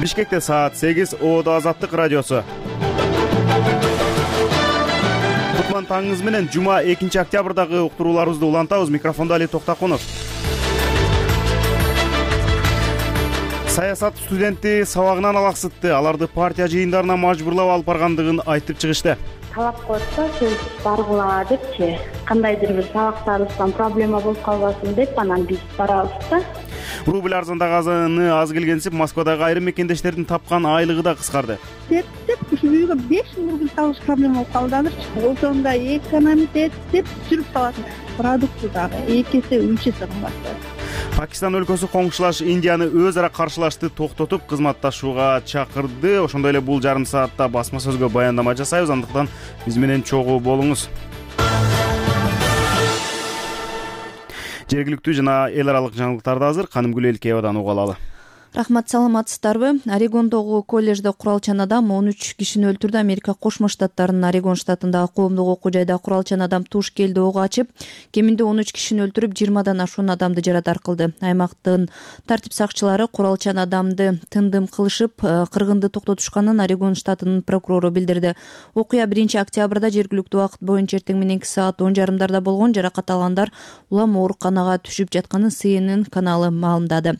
Бишкекте саат 8, Оодо Азаттык радиосу. Кутман таңыңыз менен жума 2-октябрдагы уктурууларыбызды улантабыз. Микрофондо Али Токтакунов. Саясат студенти сабагынан алаксытты. Аларды партия жыйындарына мажбурлап алып баргандыгын айтып чыгышты. Талап коюпса сөз баргыла депчи, кандайдыр бир сабактарыбыздан проблема болуп калбасын деп анан биз барабыз да. Рубль арзандаганы аз келгенсип, Москвадагы айрым мекендештердин тапкан айлыгы да кыскарды. Деп ушу үйгө 5000 рубль табыш проблема болуп калды азырчы. Ошондо экономить деп сүрүп салатын продукты дагы 2 эсе 3 эсе кымбаттады. Пакистан өлкөсү коңшулаш Индияны өз ара каршылашты токтотуп, кызматташууга чакырды. Ошондой эле бул жарым саатта басма сөзгө баяндама жасайбыз, андыктан биз менен чогуу болуңуз. Жергиликтүү жана эл аралык жаңылыктарды азыр Канымгүл Элкеевадан уга алалы. Рахмат, саламатсыздарбы? Орегондогу коллежде куралчан адам 13 кишини өлтүрдү. Америка Кошмо Штаттарынын Орегон штатындагы коомдук окуу жайда куралчан адам туш келди ок ачып, кеминде 13 кишини өлтүрүп, 20дан ашуун адамды жарадар кылды. Аймактын тартип сакчылары куралчан адамды тындым кылышып, кыргынды токтотушканын Орегон штатынын прокурору билдирди. Окуя 1-октябрда жергиликтүү убакыт боюнча эртең мененки саат 10:30 болгон. Жаракат алгандар улам ооруканага түшүп жатканын CNN каналы маалымдады.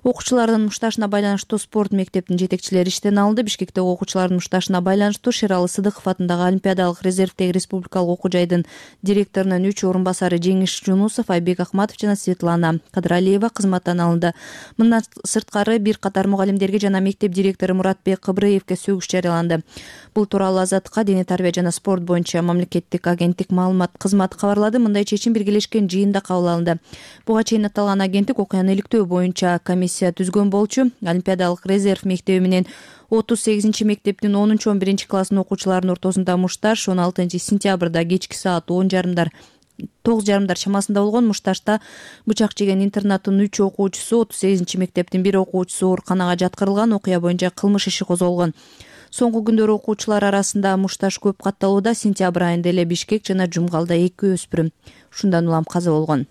Окуучулардын мушташына байланыштуу спорт мектептин жетекчилери иштен алынды. Бишкектеги окуучулардын мушташына байланыштуу Шералы Сыдыков атындагы Олимпиадалык резервдеги республикалык окуу жайдын директорунун 3 орун басары Жеңиш Жунусов, Айбек Акматов жана Светлана Кадралиева кызматтан алынды. Мындан сырткары бир катар мугалимдерге жана мектеп директору Муратбек Кыбрыевке сөгүш жарыяланды. Бул тууралуу Азаттыкка Дене тарбия жана спорт боюнча мамлекеттик агенттик маалымат кызматы кабарлады. Мындай чечим биргелешкен жыйында кабыл алынды. Буга чейин аталган агенттик окуяны иликтөө боюнча комиссия түзгөн болчу. Олимпиадалык резерв мектеби менен 38 мектептин 10-11 класстын окуучуларынын ортосунда мушташ 16 сентябрда кечки саат 9:30 чамасында болгон. Мушташта бычак жеген интернаттын 3 окуучусу, 38 мектептин 1 окуучусу ооруканага жаткырылган. Окуя боюнча кылмыш иши козголгон. Соңку күндөрү окуучулар арасында мушташ көп катталууда. Сентябрь айында эле Бишкек жана Жумгалда 2 өспүрүм ушундан улам каза болгон.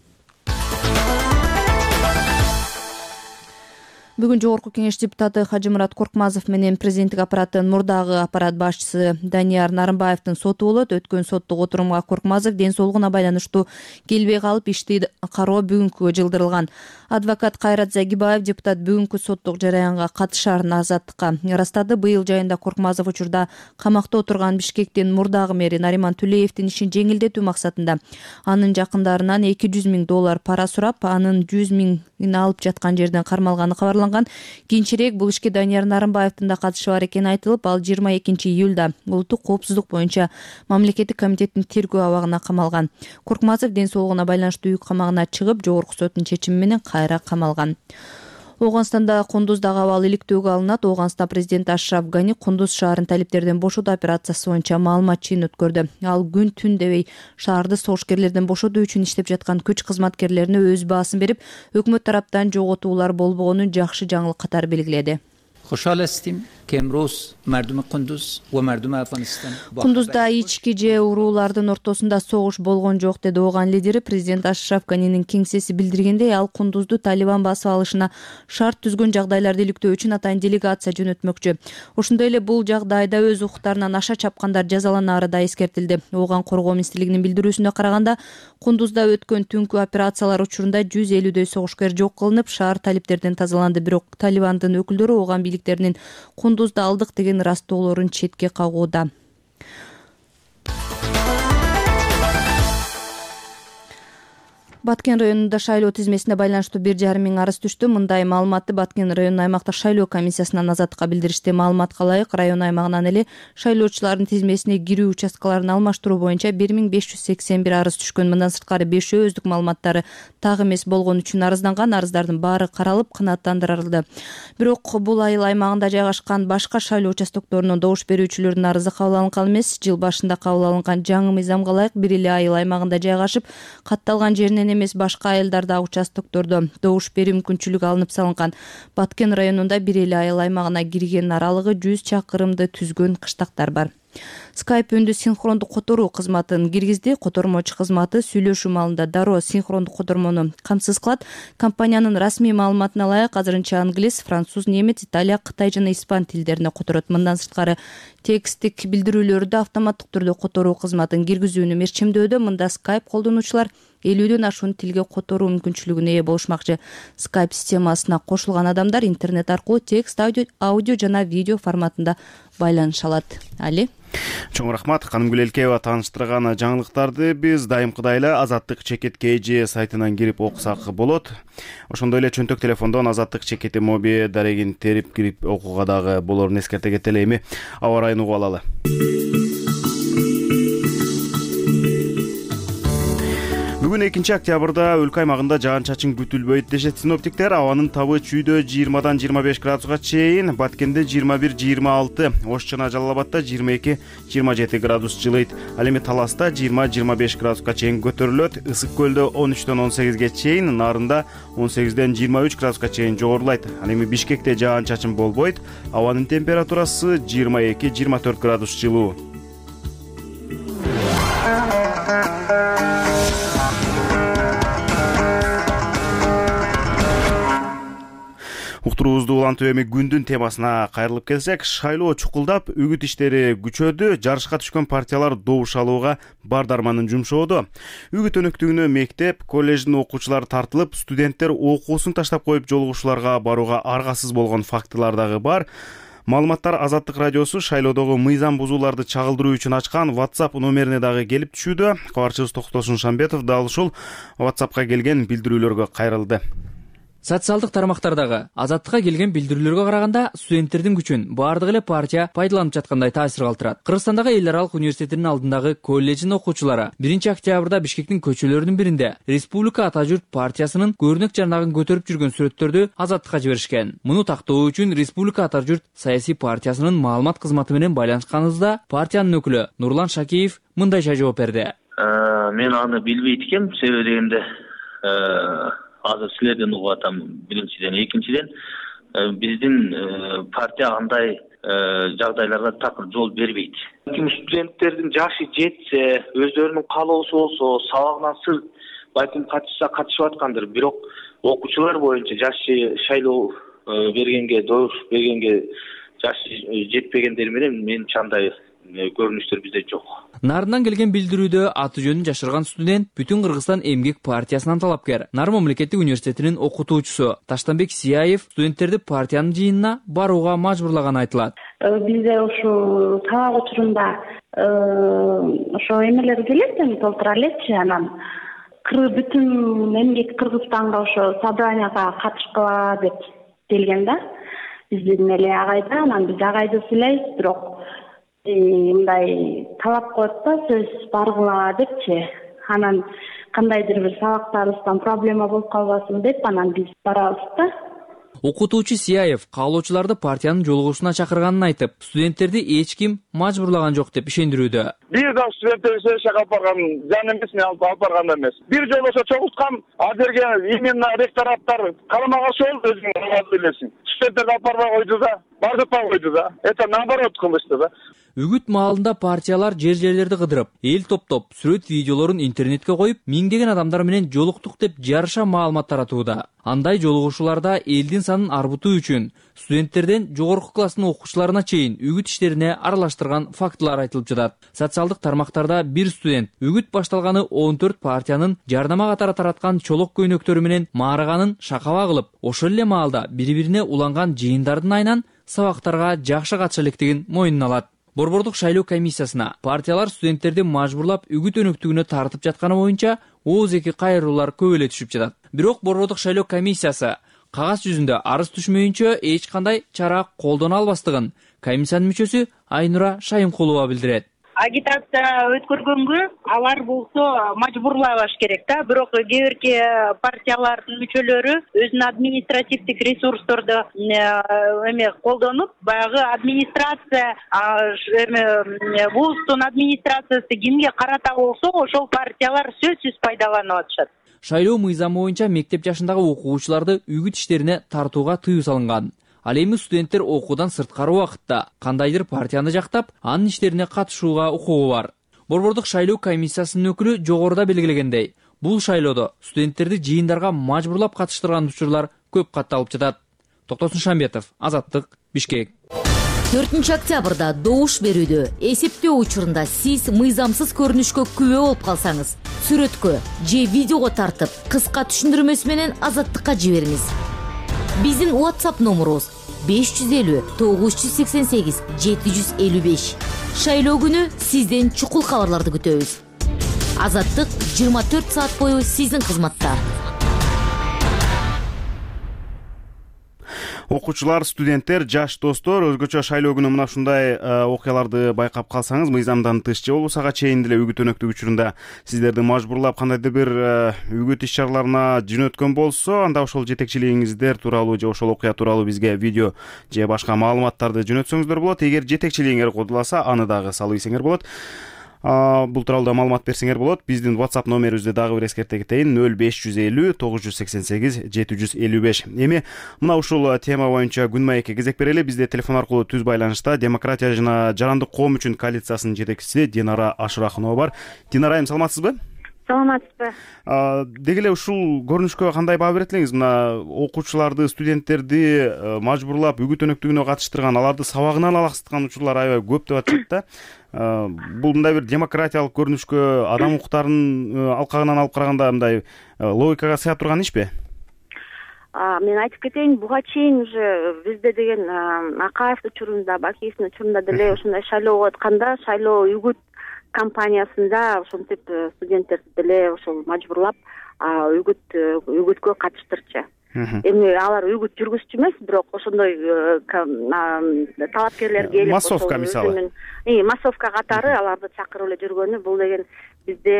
Бүгүн Жогорку Кеңеш депутаты Хажымурат Коркмазов менен президенттик аппараттын мурдагы аппарат башчысы Данияр Нарымбаевдин соту болот. Өткөн соттук отурумга Коркмазов ден соолугуна байланыштуу келбей калып, ишти кароо бүгүнкүгө жылдырылган. Адвокат Кайрат Загибаев депутат бүгүнкү соттук жараянга катышарын Азаттыкка ырастады. Быйыл жайында Коркмазов учурда камакта отурган Бишкектин мурдагы мэри Нариман Түлеевдин ишин жеңилдетүү максатында анын жакындарынан $200 000 пара сурап, анын 100 000 алып жаткан жерден кармалганы кабарланган. Кийинчерээк бул ишке Данияр Нарымбаевдин да катышы бар экени айтылып, ал 22 июлда улуттук коопсуздук боюнча мамлекеттик комитеттин тергөө абагына камалган. Коркмазов ден соолугуна байланыштуу үй камагына чыгып, жогорку соттун чечими менен кайра камалган. Ооганстанда Кундуздагы абал иликтөөгө алынат. Ооганстан президенти Ашраф Гани Кундуз шаарын талиптерден бошотуу операциясы боюнча маалымат жыйын өткөрдү. Ал күн түн дебей шаарды согушкерлерден бошотуу үчүн иштеп жаткан күч кызматкерлерине өз баасын берип, өкмөт тараптан жоготуулар болбогонун жакшы жаңылык катары белгиледи. خوشحال هستیم که امروز مردم قندوز و مردم افغانستان Кундузда ички же уруулардын ортосунда согуш болгон жок, деди ооган лидери. Президент Ашраф Ганинин кеңсеси билдиргендей, ал Кундузду Талибан басып алышына шарт түзгөн жагдайларды иликтөө үчүн атайын делегация жөнөтмөкчү. Ошондой эле бул жагдайда өз укуктарынан аша чапкандар жазаланары да эскертилди. Ооган коргоо министрлигинин билдирүүсүнө караганда, Кундузда өткөн түнкү операциялар учурунда 150дөй согушкер жок кылынып, шаар талиптерден тазаланды. Бирок Талибандын өкүлдөрү ооган бийликтеринин Кундузда алдык деген ырастоолорун четке кагууда. Баткен районунда шайлоо тизмесине байланыштуу 1,5 миң арыз түштү. Мындай маалыматты Баткен районунун аймактык шайлоо комиссиясынан Азаттыкка билдиришти. Маалыматка ылайык, район аймагынан эле шайлоочулардын тизмесине кирүү участкаларын алмаштыруу боюнча 1581 арыз түшкөн. Мындан сырткары 5 өздүк маалыматтары так эмес болгон үчүн арызданган. Арыздардын баары каралып, канааттандырылды. Бирок бул айыл аймагында жайгашкан башка шайлоо участокторунун добуш берүүчүлөрүнүн арызы кабыл алынган эмес. Жыл башында кабыл алынган жаңы мыйзамга ылайык, бир эле айыл аймагында жайгашып, катталган жеринен эмес башка айылдар дагы участоктордо добуш берүү мүмкүнчүлүгү алынып салынган. Баткен районунда бир эле айыл аймагына кирген, аралыгы 100 чакырымды түзгөн кыштактар бар. Skype үндү синхрондук которуу кызматын киргизди. Котормочу кызматы сүйлөшүү маалында дароо синхрондук котормону камсыз кылат. Компаниянын расмий маалыматына ылайык азырынча англис, француз, немец, италия, кытай жана испан тилдерине которот. Мындан сырткары текстик билдирүүлөрдү автоматтык түрдө которуу кызматын киргизүүнү мерчемдөөдө. Мында Skype колдонуучулар 50дөн ашуун тилге которуу мүмкүнчүлүгүнө ээ болушмакчы. Skype системасына кошулган адамдар интернет аркылуу текст, аудио жана видео форматында байланыша алат. Али. Чоң рахмат. Канымгүл Элкеева тааныштырган жаңылыктарды биз дайымкыдай эле Азаттык чекит KG сайтынан кирип окусак болот. Ошондой эле чөнтөк телефондон Азаттык чекити моби дарегин терип кирип окууга дагы болорун эскерте кетели. Эми аба ырайын угуп алалы. Бүгүн 2-октябрда өлкө аймагында жаан-чачын күтүлбөйт дешет синоптиктер. Абанын табы чүйдө 20-дан 25 градуска чейин, Баткенде 21-26, Ош жана Жалал Абадта 22-27 градус жылыйт. Ал эми Таласта 20-25 градуска чейин көтөрүлөт. Ысык көлдө 13-дөн 18ге чейин, Нарында 18-ден 23 градуска чейин жогорулайт. Ал эми Бишкекте жаан-чачын болбойт. Абанын температурасы 22-24 градус жылуу. Уктуруубузду улантып эми күндүн темасына кайрылып келсек, шайлоо чукулдап, үгүт иштери күчөдү, жарышка түшкөн партиялар добуш алууга бар дарманын жумшоодо. Үгүт өнөктүгүнө мектеп, коллеждин окуучулары тартылып, студенттер окуусун таштап коюп жолугушууларга барууга аргасыз болгон фактылар дагы бар. Маалыматтар Азаттык радиосу шайлоодогу мыйзам бузууларды чагылдыруу үчүн ачкан WhatsApp номерине дагы келип түшүүдө. Кабарчыбыз Токтосун Шамбетов дал ушул WhatsAppка келген билдирүүлөргө кайрылды. Социалдык тармактардагы Азаттыкка келген билдирүүлөргө караганда студенттердин күчүн баардык эле партия пайдаланып жаткандай таасир калтырат. Кыргызстандагы Эл аралык университетинин алдындагы колледждин окуучулары 1-октябрда Бишкектин көчөлөрүнүн биринде Республика Ата журт партиясынын көрүнөк жарнагын көтөрүп жүргөн сүрөттөрдү Азаттыкка жиберишкен. Муну тактоо үчүн Республика Ата журт саясий партиясынын маалымат кызматы менен байланышканыбызда партиянын өкүлү Нурлан Шакиев мындайча жооп берди. Мен аны билбейт экенмин, себеби дегенде азыр силерден угуп атам биринчиден. Экинчиден, биздин партия андай жагдайларга такыр жол бербейт. Студенттердин жашы жетсе, өздөрүнүн каалоосу болсо, сабагынан сырт байкым катышса катышып аткандыр. Бирок окуучулар боюнча жашы шайлоо бергенге, добуш бергенге жашы жетпегендер менен менимче андай көрүнүштөр бизде жок. Нарынан келген билдирүүдө аты жөнүн жашырган студент Бүтүн Кыргызстан эмгек партиясынан талапкер, Нар мамлекеттик университетинин окутуучусу Таштанбек Сияев студенттерди партиянын жыйынына барууга мажбурлаганы айтылат. Бизде ушу сабак учурунда ошо эмелер келет, толтура элечи, анан бүтүн эмгек Кыргызстанга ошо собранияга катышкыла деп келген да. Биздин эле агайда, анан биз агайды сүйлөйбүз, бирок мындай талап коет да, сөз баргыла депчи. Анан кандайдыр бир сабактарыбыздан проблема болуп калбасын деп, анан биз барабыз да. Окутуучу Сияев каалоочуларды партиянын жолугушууна чакырганын айтып, студенттерди эч ким мажбурлаган жок деп ишендирүүдө. Бир да студенттерди сессияга алып барган жан эмес, мен алып барган эмес. Бир жолу ошо чогулткам, азыркы именно ректораттар карама каршы болду, өзүң билесиң. Студенттерди алып барбай койду да, бардыкпай койду да. Это наоборот кылышты да. Үгүт маалында партиялар жер-жерлерди кыдырып, эл топтоп, сүрөт видеолорун интернетке коюп, миңдеген адамдар менен жолуктук деп жарыша маалымат таратууда. Андай жолугушууларда элдин санын арбытуу үчүн студенттерден жогорку класстын окуучуларына чейин үгүт иштерине аралаштырган фактылар айтылып жатат. Социалдык тармактарда бир студент үгүт башталганы 14 партиянын жардама катары тараткан чолок көйнөктөрү менен маарыганын шакаба кылып, ошол эле маалда бири-бирине уланган жыйындардын айынан сабактарга жакшы катыша электигин мойнуна алат. Борбордук шайлоо комиссиясына партиялар студенттерди мажбурлап үгүт өнөктүгүнө тартып жатканы боюнча ооз-эки кайрылуулар көп эле түшүп жатат. Бирок борбордук шайлоо комиссиясы кагаз жүзүндө арыз түшмөйүнчө эч кандай чара колдоно албастыгын комиссиянын мүчөсү Айнура Шайымкулова билдирет. Агитация өткөргөнгө алар болсо мажбурлабаш керек да, бирок кээ бирки партиялардын мүчөлөрү өзүнүн административдик ресурсторду колдонуп, баягы администрация вуздун администрациясы кимге карата болсо, ошол партиялар сөзсүз пайдаланып атышат. шайлоо мыйзамы боюнча мектеп жашындагы окуучуларды үгүт иштерине тартууга тыюу салынган. Ал эми студенттер окуудан сырткары убакытта кандайдыр партияны жактап, анын иштерине катышууга укугу бар. Борбордук шайлоо комиссиясынын өкүлү жогоруда белгилегендей, бул шайлоодо студенттерди жыйындарга мажбурлап катыштырган учурлар көп катталып жатат. Токтосун Шамбетов, Азаттык, Бишкек. 4 октябрда добуш берүүдө эсептөө учурунда сиз мыйзамсыз көрүнүшкө күбө болуп калсаңыз, сүрөткө же видеого тартып, кыска түшүндүрмөсү менен Азаттыкка жибериңиз. Биздин WhatsApp номерубуз 550 988 755. Шайлоо күнү сизден чукул кабарларды күтөбүз. Азаттык 24 саат бою сиздин кызматта. Окуучулар, студенттер, жаш достор, өзгөчө шайлоо күнү мына ушундай окуяларды байкап калсаңыз, мыйзамдан тыш же болбосо ага чейин деле үгүт өнөктүк учурунда сиздерди мажбурлап кандайдыр бир үгүт иш чараларына жөнөткөн болсо, анда ошол жетекчилигиңиздер тууралуу же ошол окуя тууралуу бизге видео же башка маалыматтарды жөнөтсөңүздөр болот. Эгер жетекчилигиңер кодуласа, аны дагы салып ийсеңер болот. Бул тууралуу да маалымат берсеңер болот. Биздин WhatsApp номерибизди дагы бир эскерте кетейин: 0550 988 755. Эми мына ушул тема боюнча күн маекке кезек берели. Бизде телефон аркылуу түз байланышта Демократия жана жарандык коом үчүн коалициясынын жетекчиси Динара Ашырахунова бар. Динара айым, саламатсызбы? Саламатсызбы. Деги эле ушул көрүнүшкө кандай баа берет элеңиз? Мына окуучуларды, студенттерди мажбурлап үгүт өнөктүгүнө катыштырган, аларды сабагынан алаксыткан учурлар аябай көп деп атышат да. Бул мындай бир демократиялык көрүнүшкө, адам укуктарын алкагынан алып караганда мындай логикага сыя турган ишпи? Мен айтып кетейин, буга чейин уже бизде деген Акаев учурунда, Бакиевдин учурунда деле ушундай шайлоого атканда, шайлоо үгүт компаниясында ошентип студенттерди деле ошол мажбурлап үгүткө катыштырчу. Эми алар үгүт жүргүзчү эмес, бирок ошондой талапкерлер келип, массовка мисалы. Массовка катары аларды чакырып эле жүргөнү, бул деген бизде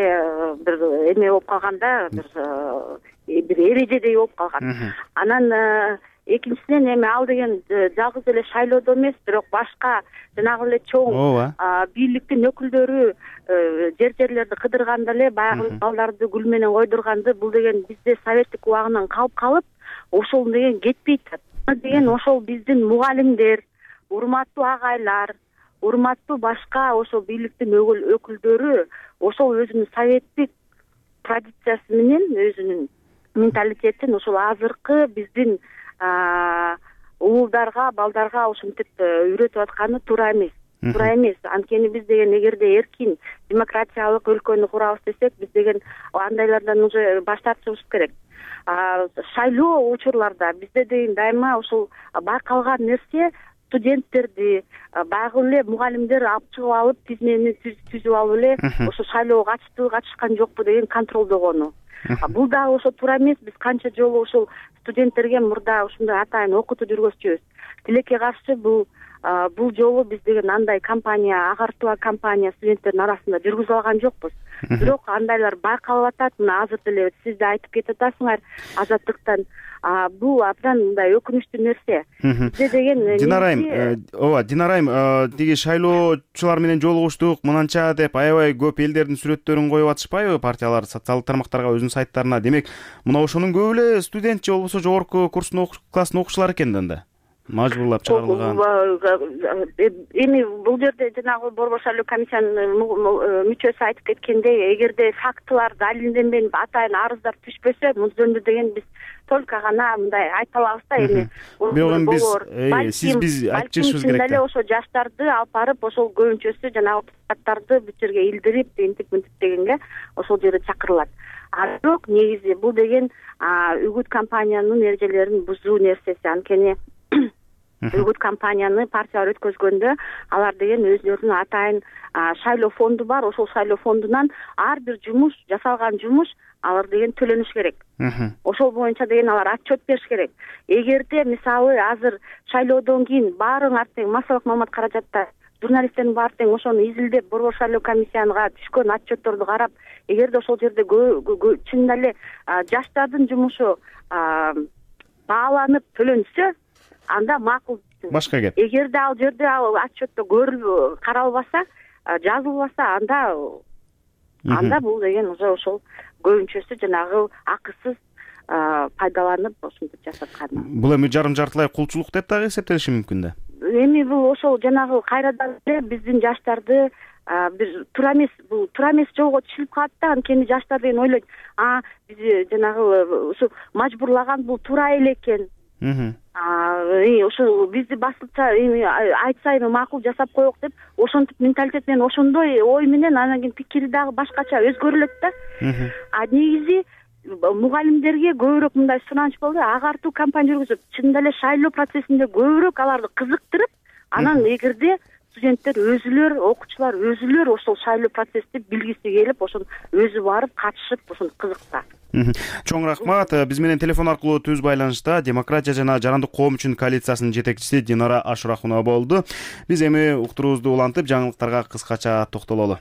бир эме болуп калганда, бир эрежедей болуп калган. Анан экинчиден эми ал деген жалгыз эле шайлоодо эмес, бирок башка жанагы эле чоң бийликтин өкүлдөрү жерлерди кыдырганда эле баягы балдарды гүл менен койдурганды, бул деген бизде советтик убагынан калып калып, ошол деген кетпей атат. Деген ошол биздин мугалимдер, урматтуу агайлар, урматтуу башка ошол бийликтин өкүлдөрү ошол өзүнүн советтик традициясы менен, өзүнүн менталитетин ошол азыркы биздин уулдарга, балдарга ошентип үйрөтүп атканы туура эмес. Туура эмес. Анткени биз деген эгерде эркин демократиялык өлкөнү курабыз десек, биз деген андайлардан уже баш тартышыбыз керек. Шайлоо учурларда бизде деген дайыма ошол байкалган нерсе студенттерди, баягы эле мугалимдер алып чыгып алып, тизмени түзүп алып эле ошо шайлоого катыштыбы, катышкан жокпу деген контролдогону. Бул дагы ошо туура эмес. Биз канча жолу ошол студенттерге мурда ушундай атайын окутуу жүргүзчүбүз. Тилекке каршы бул жолу биз деген андай кампания, агартуу кампания студенттердин арасында жүргүзүп алган жокпуз. Бирок андайлар байкалып атат. Мына азыр деле сиз да айтып кетип атасыңар Азаттыктан. Бул абдан мындай өкүнүчтүү нерсе. Бизде деген Динарайым, тиги шайлоочулар менен жолугуштук, мынанча деп аябай көп элдердин сүрөттөрүн коюп атышпайбы партиялар социалдык тармактарга, өзүнүн сайттарына? Демек, мына ошонун көбү эле студент же болбосо жогорку курстун класстын окуучулары экен да. Мажбурлап чыгарылган. Эми бул жерде жанагы борбор шайлоо комиссиянын мүчөсү айтып кеткендей, эгерде фактылар далилденбей атайын арыздар түшпөсө, мул жөнүндө деген биз только гана мындай айта алабыз да. Эми биз айтышыбыз керек да. Ошо жаштарды алып барып, ошол көбүнчөсү жанагы депутаттарды бул жерге илдирип, интип дегенге ошол жерде чакырылат. Бирок негизи бул деген үгүт компаниянын эрежелерин бузуу нерсеси. Анткени үгүт компанияны партиялар өткөзгөндө алар деген өзүлөрүнүн атайын шайлоо фонду бар. Ошол шайлоо фондунан ар бир жумуш, жасалган жумуш алар деген төлөнүш керек. Ошол боюнча деген алар отчет бериш керек. Эгерде мисалы азыр шайлоодон кийин баарыңар тең массалык маалымат каражаттар, журналисттердин баары тең ошону изилдеп, борбор шайлоо комиссиянга түшкөн отчетторду карап, эгерде ошол жерде чынында эле жаштардын жумушу бааланып төлөнсө, анда макул. Башка кеп. Эгерде ал жерде ал отчетто көрүлүп каралбаса, жазылбаса, анда бул деген уже ошол көбүнчөсү жанагы акысыз пайдаланып ошентип жасаткан. Бул эми жарым-жартылай кулчулук деп дагы эсептелиши мүмкүн да. Эми бул ошол жанагы кайрадан эле биздин жаштарды бир туура эмес жолго түшүрүп калат да. Анткени жаштар деген ойлойт, биз жанагы ушу мажбурлаган бул туура эле экен. Ошо бизди басылча айтса эми макул жасап коелук деп ошентип менталитет менен ошондой ой менен анан кийин пикири дагы башкача өзгөрүлөт да. Негизи мугалимдерге көбүрөөк мындай сураныч болду. Агартуу кампания жүргүзүп, чынында эле шайлоо процессинде көбүрөөк аларды кызыктырып, анан эгерде студенттер өзүлөр, окуучулар өзүлөр ошол шайлоо процессти билгиси келип, ошон өзү барып катышып, ошон кызыкса. Чоң рахмат. Биз менен телефон аркылуу түз байланышта Демократия жана Жарандык коом үчүн коалициясынын жетекчиси Динара Ашурахунова болду. Биз эми уктуруубузду улантып, жаңылыктарга кыскача токтололу.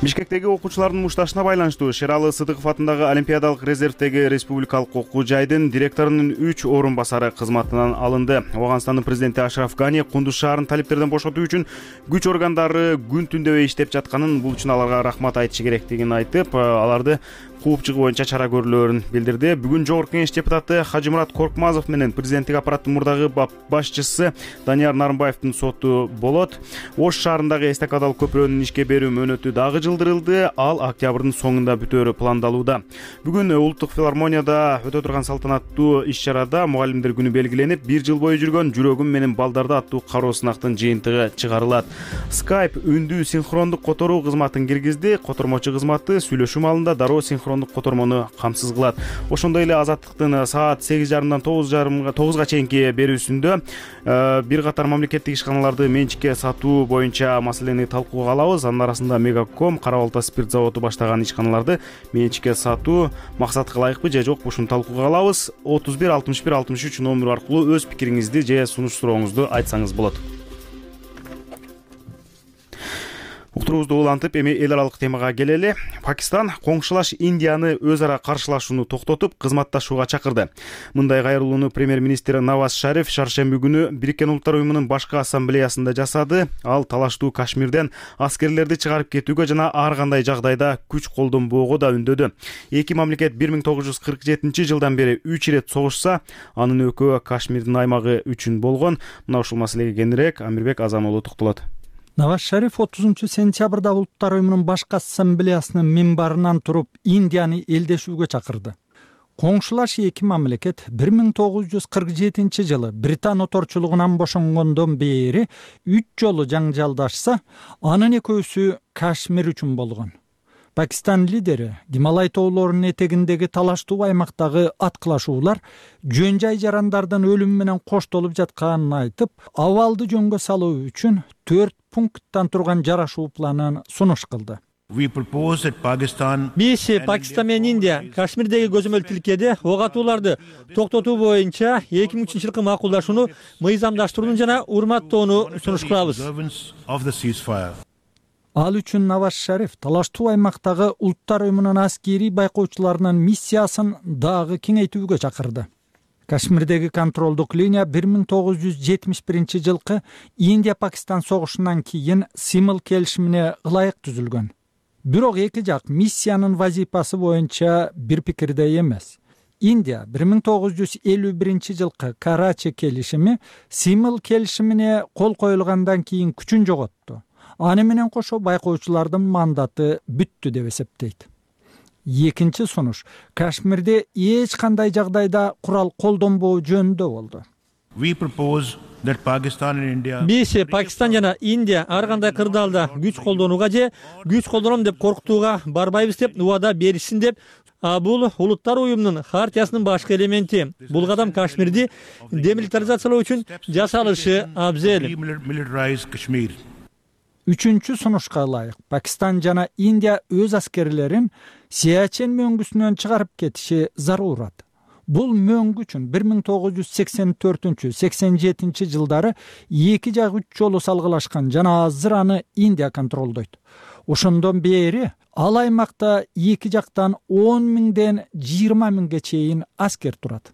Бишкектеги окуучулардын мушташына байланыштуу Шералы Сыдыков атындагы Олимпиадалык резервдеги республикалык окуу жайдын директорунун 3 орун басары кызматынан алынды. Ооганстандын президенти Ашраф Гани Кундуз шаарын талиптерден бошотуу үчүн күч органдары күн түндөбөй иштеп жатканын, бул үчүн аларга рахмат айтышы керектигин айтып, аларды кууп чыгуу боюнча чара көрүүлөрүн билдирди. Бүгүн Жогорку Кеңеш депутаты Хажымурат Коркмазов менен президенттик аппараттын мурдагы башчысы Данияр Нарымбаевдин соту болот. Ош шаарындагы эстакадалык көпүрөнүн ишке берүү мөөнөтү дагы жылдырылды. Ал октябрдын соңунда бүтөөрү пландалууда. Бүгүн Улуттук филармонияда өтө турган салтанаттуу иш-чарада мугалимдер күнү белгиленип, 1 жыл бою жүргөн Жүрөгүм менен балдарды аттуу кароо сынактын жыйынтыгы чыгарылат. Skype үндүү синхрондук которуу кызматын киргизди. Котормочу кызматы сүйлөшүү маалында дароо синхрондук котормону камсыз кылат. Ошондой эле Азаттыктын саат 8:30дан 9:30га чейинки берүүсүндө бир катар мамлекеттик ишканаларды менчикке сатуу боюнча маселени талкууга алабыз. Анын арасында Мегаком, Кара Балта спирт заводу баштаган ишканаларды менчикке сатуу максатка ылайыкпы же жокпу, ушуну талкууга алабыз. 31 61 63 номеру аркылуу өз пикириңизди же сунуш сурооңузду айтсаңыз болот. Уктуруубузду улантып, эми эл аралык темага келели. Пакистан коңшулаш Индияны өз ара каршылашууну токтотуп, кызматташууга чакырды. Мындай кайрылууну премьер-министр Наваз Шариф шаршемби күнү Бириккен Улуттар уюмунун башкы ассамблеясында жасады. Ал талаштуу Кашмирден аскерлерди чыгарып кетүүгө жана ар кандай жагдайда күч колдонбоого да үндөдү. Эки мамлекет 1947-жылдан бери 3 ирет согушса, анын экөө Кашмирдин аймагы үчүн болгон. Мына ушул маселеге кененирээк Амирбек Азамолу токтолот. Наваз Шариф 30-сентябрда Улуттар уюмунун башкы ассамблеясынын минбарынан туруп Индияны элдешүүгө чакырды. Коңшулаш эки мамлекет 1947-жылы Британ оторчулугунан бошонгондон бери 3 жолу жаңжалдашса, анын экөөсү Кашмир үчүн болгон. Пакистан лидери Гималай тоолорунун этегиндеги талаштуу аймактагы аткылашуулар жөн жай жарандардын өлүмү менен коштолуп жатканын айтып, абалды жөнгө салуу үчүн 4 пункттан турган жарашуу планын сунуш кылды. Биз Пакистан менен Индия Кашмирдеги көзөмөл тилкеде ок атууларды токтотуу боюнча 2003-жылкы макулдашууну мыйзамдаштырууну жана урматтоону сунуш кылабыз. Ал үчүн Наваз Шариф талаштуу аймактагы Улуттар уюмунун аскерий байкоочуларынын миссиясын дагы кеңейтүүгө чакырды. Кашмирдеги контролдук линия 1971-жылкы Индия-Пакистан согушунан кийин Симыл келишимине ылайык түзүлгөн. Бирок эки жак миссиянын вазифасы боюнча бир пикирде эмес. Индия 1951-жылкы Карачи келишими Симыл келишимине кол коюлгандан кийин күчүн жоготту. Аны менен кошо байкоочулардын мандаты бүттү деп эсептейт. Экинчи сунуш Кашмирде эч кандай жагдайда курал колдонбоо жөнүндө болду. Биз Пакистан жана Индия ар кандай кырдаалда күч колдонууга же күч колдоном деп коркутууга барбайбыз деп убада беришсин деп, бул Улуттар уюмунун хартиясынын башкы элементи. Бул кадам Кашмирди демилитаризациялоо үчүн жасалышы абзел. Үчүнчү сунушка ылайык Пакистан жана Индия өз аскерлерин Сиачен мөңгүсүнөн чыгарып кетиши зарурат. Бул мөңгү үчүн 1984-87 жылдары эки жак 3 жолу салгылашкан жана азыр аны Индия контролдойт. Ошондон бери ал аймакта эки жактан 10 миңден 20 миңге чейин аскер турат.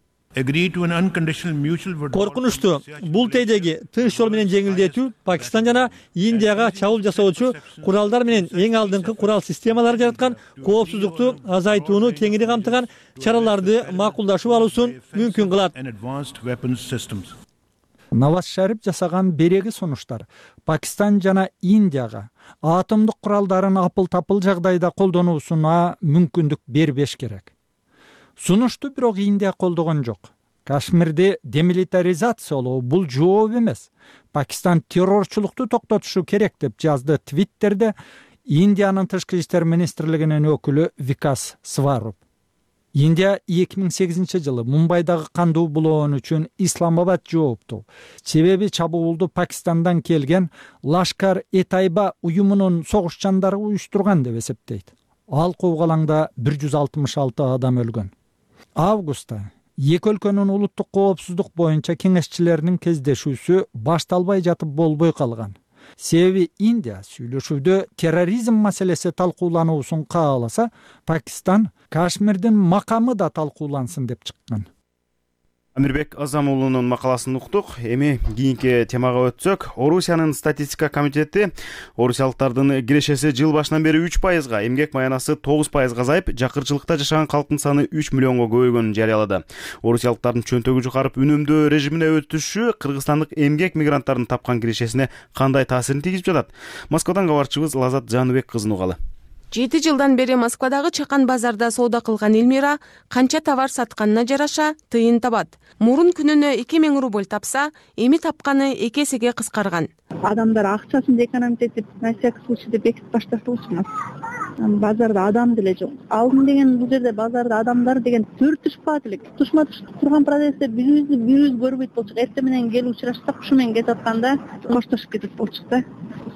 коркунучтуу бул тейдеги тынч жол менен жеңилдетүү Пакистан жана Индияга чабуул жасоочу куралдар менен эң алдыңкы курал системалары жараткан коопсуздукту азайтууну кеңири камтыган чараларды макулдашып алуусун мүмкүн кылат. Наваз Шариф жасаган береги сунуштар Пакистан жана Индияга атомдук куралдарын апыл-тапыл жагдайда колдонуусуна мүмкүндүк бербеш керек. Сунушту бирок Индия колдогон жок. Кашмирди демилитаризациялоо бул жооп эмес. Пакистан террорчулукту токтотушу керек деп жазды Твиттерде Индиянын тышкы иштер министрлигинин өкүлү Викас Сваруп. Индия 2008-жылы Мумбайдагы кандуу булоон үчүн Исламабад жоопту. Себеби чабуулду Пакистандан келген Лашкар-e-Тайба уюмунун согушчандары уюштурган деп эсептейт. Ал куугалаңда 166 адам өлгөн. Августта эки өлкөнүн улуттук коопсуздук боюнча кеңешчилеринин кездешүүсү башталбай жатып болбой калган. Себеби Индия сүйлөшүүдө терроризм маселеси талкуулануусун кааласа, Пакистан Кашмирдин макамы да талкуулансын деп чыккан. Амирбек Азамуулунун макаласын уктук. Эми кийинки темага өтсөк, Орусиянын статистика комитети орусиялыктардын кирешеси жыл башынан бери 3%, эмгек маянасы 9% азайып, жакырчылыкта жашаган калктын саны 3 миллионго көбөйгөнүн жарыялады. Орусиялыктардын чөнтөгү жукарып үнөмдөө режимине өтүшү кыргызстандык эмгек мигранттардын тапкан кирешесине кандай таасирин тийгизип жатат? Москвадан кабарчыбыз Лазат Жаныбек кызын угалы. 7 жылдан бери Москвадагы чакан базарда соода кылган Элмира канча товар сатканына жараша тыйын табат. Мурун күнүнө 2000 рубль тапса, эми тапканы 2 эсеге кыскарган. Адамдар акчасын экономить этип, на всякий случай деп бекитип башташыбыз. Базарда адам деле жок. Алдын деген бул жерде базарда адамдар деген төртүшпат элек. Тушма турган процессте бирибиз көрбөйт болчук. Эртең менен келип учурашсак, ушу менен кетип атканда коштошуп кетип болчук да.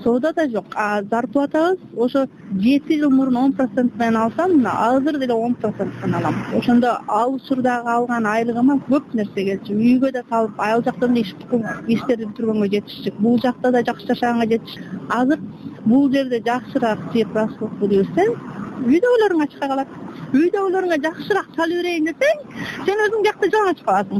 Соода да жок. А зарплатабыз ошо 7 жыл мурун 10% менен алсам, азыр деле 10% алам. Ошондо ал учурдагы алган айлыгыма көп нерсе келчү. Үйгө да салып, ал жакта да иштерди бүтүргөнгө жетишчүк. Бул жакта да жакшы жашаганга жетиш. Азыр бул жерде жакшыраак жеп расход кылсаң, үйдөгүлөрүң ачка калат. Үйдөгүлөрүңө жакшыраак салып берейин десең, сен өзүң жакта жалаң ачып каласың.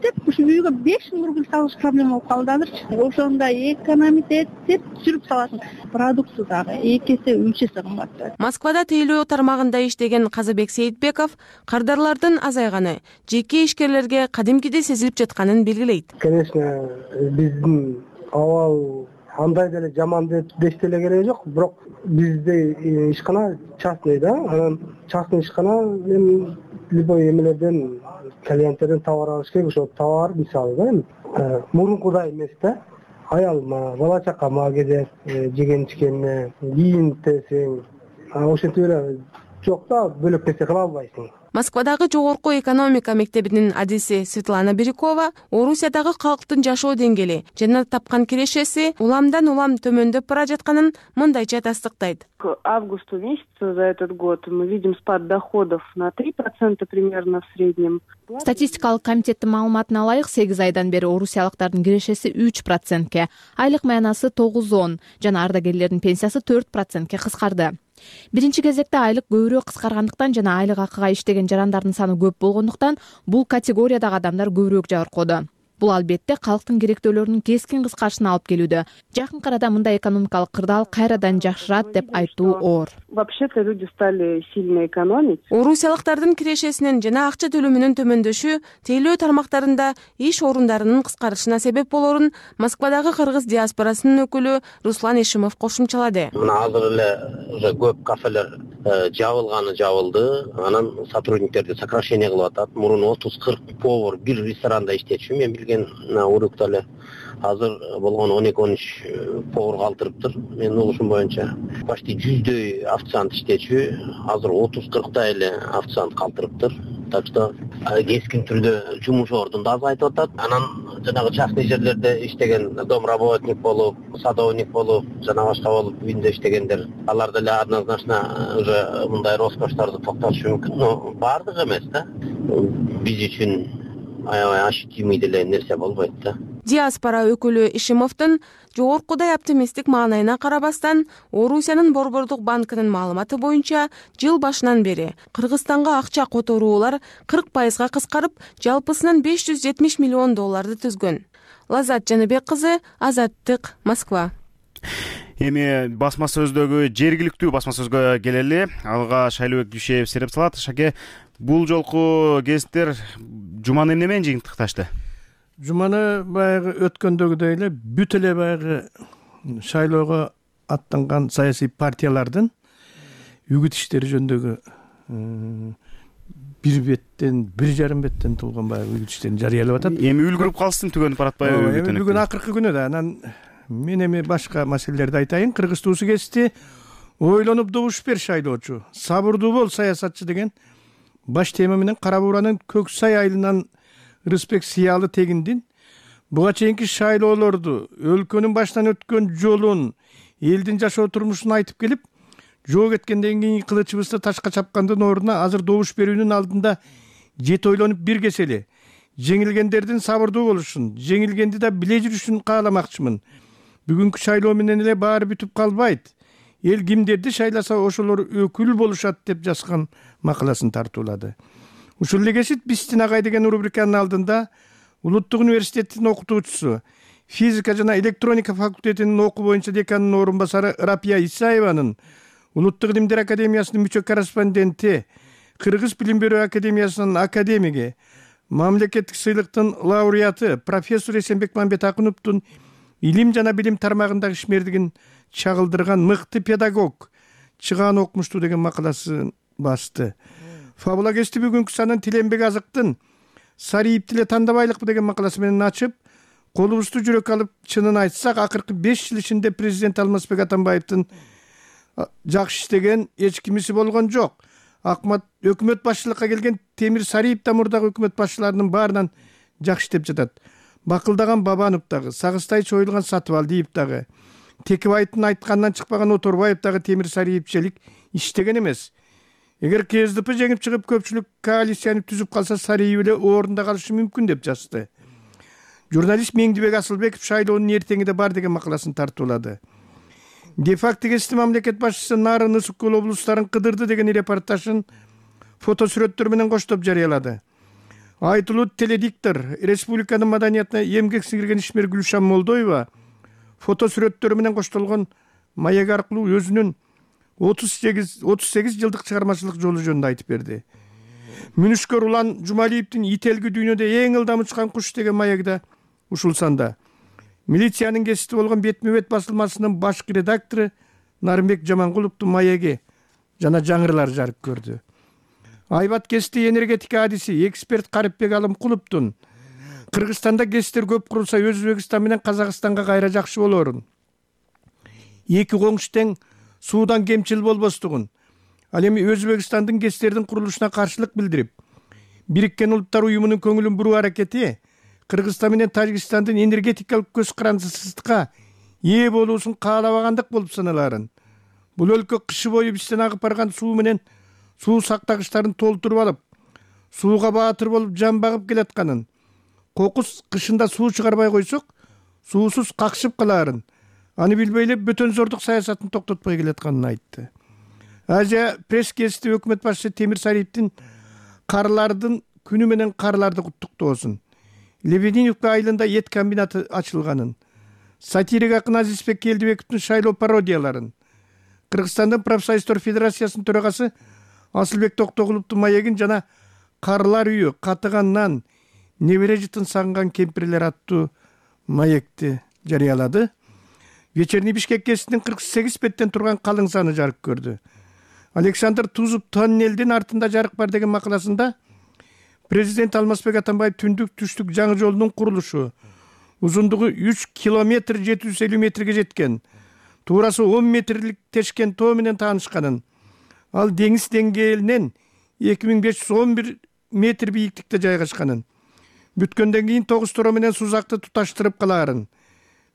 Деп ушу үйгө 5000 рубль салыш проблема болуп калды азырчы. Ошондо экономить этип сүрүп саласың. Продукты дагы 2 эсе 3 эсе кымбат. Москвада тейлөө тармагында иштеген Казыбек Сейитбеков кардарлардын азайганы жеке ишкерлерге кадимкиде сезилип жатканын белгилейт. Конечно, биздин абал андай деле жаман деп деле кереги жок, бирок бизде ишкана частный да, анан частный ишкана мен любой эмелерден клиенттерден товар алыш керек, ошо товар мисалы да, мурункудай эмес да. Аялыма, бала чакама кезеп, жеген ичкенине, кийинтесең, ошентип эле жок да, бөлөк нерсе кыла албайсың. Москвадагы жогорку экономика мектебинин адиси Светлана Бирюкова Орусиядагы калктын жашоо деңгээли жана тапкан кирешеси уламдан улам төмөндөп бара жатканын мындайча тастыктайт. К августу месяцу за этот год мы видим спад доходов на 3% примерно в среднем. Статистикалык комитеттин маалыматына ылайык 8 айдан бери орусиялыктардын кирешеси 3%, айлык маянасы 9-10 жана ардагерлердин пенсиясы 4%ке кыскарды. Биринчи кезекте айлык көбүрөөк кыскаргандыктан жана айлык акыга иштеген жарандардын саны көп болгондуктан бул категориядагы адамдар көбүрөөк жабыркоодо. Бул албетте калктын керектөөлөрүнүн кескин кыскарышына алып келүүдө. Жакын арада мындай экономикалык кырдаал кайрадан жакшырат деп айтуу оор. Вообще-то люди стали сильно экономить. Орусиялыктардын кирешесинин жана акча төлөмүнүн төмөндөшү тейлөө тармактарында иш орундарынын кыскарышына себеп болорун Москвадагы кыргыз диаспорасынын өкүлү Руслан Ишимов кошумчалады. Мына азыр эле уже көп кафелер жабылды, анан сотрудниктерди сокращение кылып атат. Мурун 30-40 повар бир ресторанда иштечү, мен билген урукта эле. Азыр болгон 12-13 повар калтырыптыр. Менин угушум боюнча почти 100дөй официант иштечү, азыр 30-40 эле официант калтырыптыр. Так что кескин түрдө жумуш ордун да азайтып атат. Анан жанагы частный жерлерде иштеген домработник болуп, садовник болуп, жана башка болуп үйүндө иштегендер, алар деле однозначно уже мындай роскошторду токтотушу мүмкүн, но баардыгы эмес да. Биз үчүн аябай ощутимый деле нерсе болбойт да. диаспора өкүлү Ишимовдун жогоркудай оптимисттик маанайына карабастан, Орусиянын Борбордук банкынын маалыматы боюнча жыл башынан бери Кыргызстанга акча которуулар 40% кыскарып, жалпысынан $570 миллион түзгөн. Лазат Жаныбек кызы, Азаттык, Москва. Эми басма сөздөгү жергиликтүү басма сөзгө келели. Алга Шайлообек Дүйшеев сереп салат. Шаке, бул жолку гезиттер жуманы эмне менен жыйынтыкташты? Жуманы баягы өткөндөгүдөй эле бүт эле баягы шайлоого аттанган саясий партиялардын үгүт иштери жөнүндөгү бир беттен, 1,5 беттен толгон баягы үгүт иштерин жарыялап атат. Эми үлгүрүп калсын, түгөнүп баратпайбы? Эми бүгүн акыркы күнү да. Анан мен эми башка маселелерди айтайын. Кыргыз туусу кести ойлонуп добуш бер шайлоочу, сабырдуу бол саясатчы деген баш тема менен Кара Бууранын Көксай айылынан Рыспек Сиялы Тегиндин буга чейинки шайлоолорду, өлкөнүн башынан өткөн жолун, элдин жашоо турмушун айтып келип, жоо кеткенден кийин кылычыбызды ташка чапкандын ордуна азыр добуш берүүнүн алдында жет ойлонуп бир кесели. Жеңилгендердин сабырдуу болушун, жеңилгенди да биле жүрүшүн кааламакчымын. Бүгүнкү шайлоо менен эле баары бүтүп калбайт. Эл кимдерди шайласа ошолор өкүл болушат деп жазган макаласын тартуулады. Ушул эле кесип Бистин агай деген рубриканын алдында Улуттук университеттин окутуучусу, физика жана электроника факультетинин окуу боюнча деканынын орун басары Рапия Исаеванын, Улуттук илимдер академиясынын мүчө корреспонденти, Кыргыз билим берүү академиясынын академиги, мамлекеттик сыйлыктын лауреаты профессор Эсенбек Мамбетакуновдун илим жана билим тармагындагы ишмердигин чагылдырган мыкты педагог Чыгаан окумуштуу деген макаласын басты. Фабула кести бүгүнкү санын Тиленбек Азыктын Сариевди эле тандабайлыкпы деген макаласы менен ачып, колубузду жүрөк алып чынын айтсак, акыркы 5 жыл ичинде президент Алмазбек Атамбаевдин жакшы иштеген эч кимиси болгон жок. Өкмөт башчылыкка келген Темир Сариев да мурдагы өкмөт башчыларынын баарынан жакшы иштеп жатат. Бакылдаган Бабанов дагы, Сагыстай чоюлган Сатыбалдиев дагы, Текебаевдин айтканынан чыкпаган Оторбаев дагы Темир Сариевчелик иштеген эмес. Эгер КСДП жеңип чыгып көпчүлүк коалицияны түзүп калса, Сариев эле орунда калышы мүмкүн деп жазды. Журналист Меңдибек Асылбеков шайлоонун эртеңиде бар деген макаласын тартуулады. Де-факто кести мамлекет башчысы Нарын, Ысык Көл облустарын кыдырды деген репортажын фото сүрөттөр менен коштоп жарыялады. Айтылуу теледиктор, республиканын маданиятына эмгек сиңирген ишмер Гүлшан Молдоева фото сүрөттөрү менен коштолгон маек аркылуу өзүнүн 38 жылдык чыгармачылык жолу жөнүндө айтып берди. Мүнүшкөр Улан Жумалиевдин Ителги дүйнөдө эң ылдам учкан куш деген маеги да ушул санда. Милициянын кести болгон Бетме-бет басылмасынын башкы редактору Нарымбек Жамангуловдун маеги жана жаңырылар жарык көрдү. Айбат кести энергетика адиси эксперт Карипбек Алымкуловдун Кыргызстанда кесттер көп курулса, Өзбекстан менен Казакстанга кайра жакшы болорун, эки коңшу тең суудан кемчил болбостугун, ал эми Өзбекстандын кесттердин курулушуна каршылык билдирип, Бириккен Улуттар уюмунун көңүлүн буруу аракети Кыргызстан менен Тажикстандын энергетикалык көз карандысыздыкка ээ болуусун каалабагандык болуп саналарын. Бул өлкө кышы бою бизден агып барган суу менен суу сактагычтарын толтуруп алып, сууга баатыр болуп жан багып келатканын, кокус кышында суу чыгарбай койсок, суусуз какшып калаарын, аны билбей эле бөтөнзордук саясатын токтотпой келатканын айтты. Азия пресс-кести өкмөт башчысы Темир Сариевдин карлардын күнү менен карларды куттуктоосун, Лебединовка айылында эт комбинаты ачылганын, сатирик акын Азизбек Келдибековдун шайлоо пародияларын, Кыргызстандын профсоюздар федерациясынын төрагасы Асылбек Токтогуловдун маегин жана Карлар үйү, Катыганнан, Небере жытын сагынган кемпирлер аттуу маекти жарыялады. Вечерний Бишкек кестинин 48 беттен турган калың саны жарык көрдү. Александр Тузов тоннелдин артында жарык бар деген макаласында президент Алмазбек Атамбаев түндүк-түштүк жаңы жолунун курулушу, узундугу 3 километр 750 метрге жеткен, туурасы 10 метрлик тешкен тоо менен таанышканын, ал деңиз деңгээлинен 2511 метр бийиктикте жайгашканын, бүткөндөн кийин 9 тоо менен Сузакты туташтырып калаарын,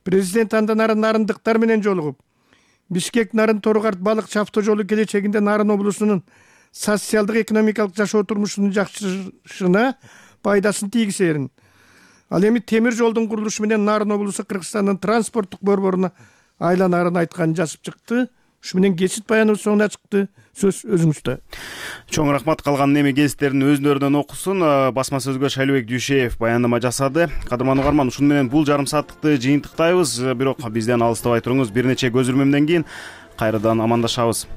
президент андан ары нарындыктар менен жолугуп, Бишкек Нарын Торугарт балыкчы автожолу келечегинде Нарын облусунун социалдык экономикалык жашоо турмушунун жакшырышына пайдасын тийгизерин, Ал эми темир жолдун курулушу менен Нарын облусу Кыргызстандын транспорттук борборуна айланарын айтканын жазып чыкты. Ушу менен кесит баяныбыз соңуна чыкты. Сөз өзүңүздө. Чоң рахмат. Калган эми кеситтерин өзүнөрүнөн окусун. Басма сөзгө Шайлообек Дүйшеев баяндама жасады. Кадырман угарман, ушуну менен бул жарым сааттыкты жыйынтыктайбыз. Бирок бизден алыстабай туруңуз. Бир нече көзүрмөмдөн кийин кайрадан амандашабыз.